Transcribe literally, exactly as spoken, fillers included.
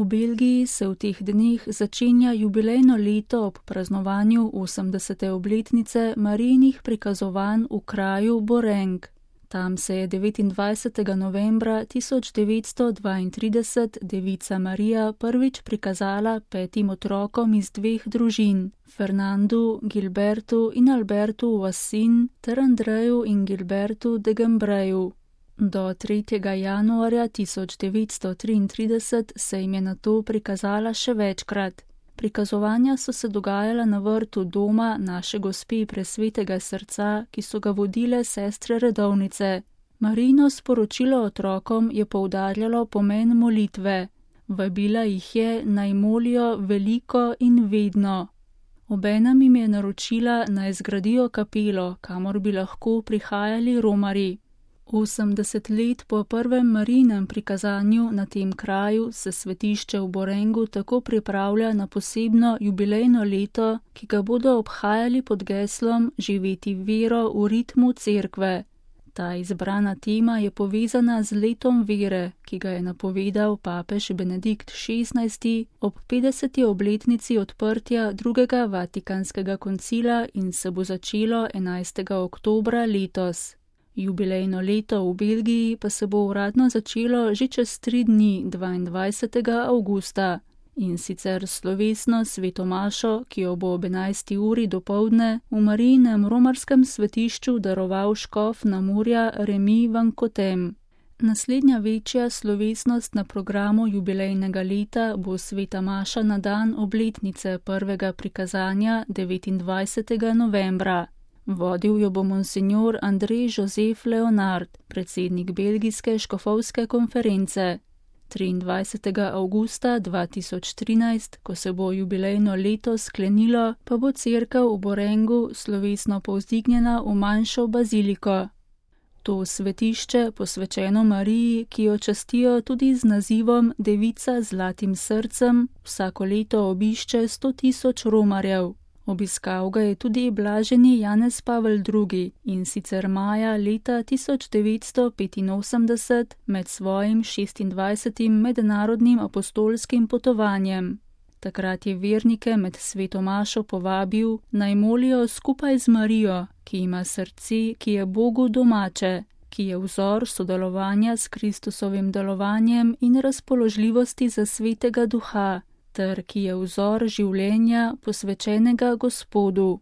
V Belgiji se v teh dneh začenja jubilejno leto ob praznovanju osemdesete obletnice Marijinih prikazovanj v kraju Boreng. Tam se je devetindvajsetega novembra tisoč devetsto dvaintrideset devica Marija prvič prikazala petim otrokom iz dveh družin, Fernandu, Gilbertu in Albertu Vassin ter Andreju in Gilbertu de Gembreju. Do tretjega januarja tisoč devetsto triintrideset se jim je nato prikazala še večkrat. Prikazovanja so se dogajala na vrtu doma Naše Gospe Presvetega srca, ki so ga vodile sestre redovnice. Marijino sporočilo otrokom je poudarjalo pomen molitve. Vabila jih je, naj molijo veliko in vedno. Obenem jim je naročila, naj zgradijo kapelo, kamor bi lahko prihajali romarji. osemdeset let po prvem Marijinem prikazanju na tem kraju se svetišče v Borengu tako pripravlja na posebno jubilejno leto, ki ga bodo obhajali pod geslom Živeti vero v ritmu cerkve. Ta izbrana tema je povezana z letom vere, ki ga je napovedal papež Benedikt šestnajsti ob petdeseti obletnici odprtja drugega Vatikanskega koncila in se bo začelo enajstega oktobra letos. Jubilejno leto v Belgiji pa se bo uradno začelo že čez tri dni, dvaindvajsetega avgusta, in sicer slovesno sveto mašo, ki jo bo ob enajsti uri dopoldne v Marijinem romarskem svetišču daroval škof Namurja Remi van Cotem. Naslednja večja slovesnost na programu jubilejnega leta bo sveta maša na dan obletnice prvega prikazanja devetindvajsetega novembra. Vodil jo bo monsinjor Andrej Josef Leonard, predsednik belgijske škofovske konference. triindvajsetega avgusta dva tisoč trinajst, ko se bo jubilejno leto sklenilo, pa bo cerkev v Borengu slovesno povzdignjena v manjšo baziliko. To svetišče, posvečeno Mariji, ki jo častijo tudi z nazivom Devica z zlatim srcem, vsako leto obišče sto tisoč romarjev. Obiskal ga je tudi blaženi Janez Pavel drugi in sicer maja leta tisoč devetsto petinosemdeset med svojim šestindvajsetim mednarodnim apostolskim potovanjem. Takrat je vernike med sveto mašo povabil, naj molijo skupaj z Marijo, ki ima srce, ki je Bogu domače, ki je vzor sodelovanja s Kristusovim delovanjem in razpoložljivosti za svetega duha, ter ki je vzor življenja posvečenega Gospodu.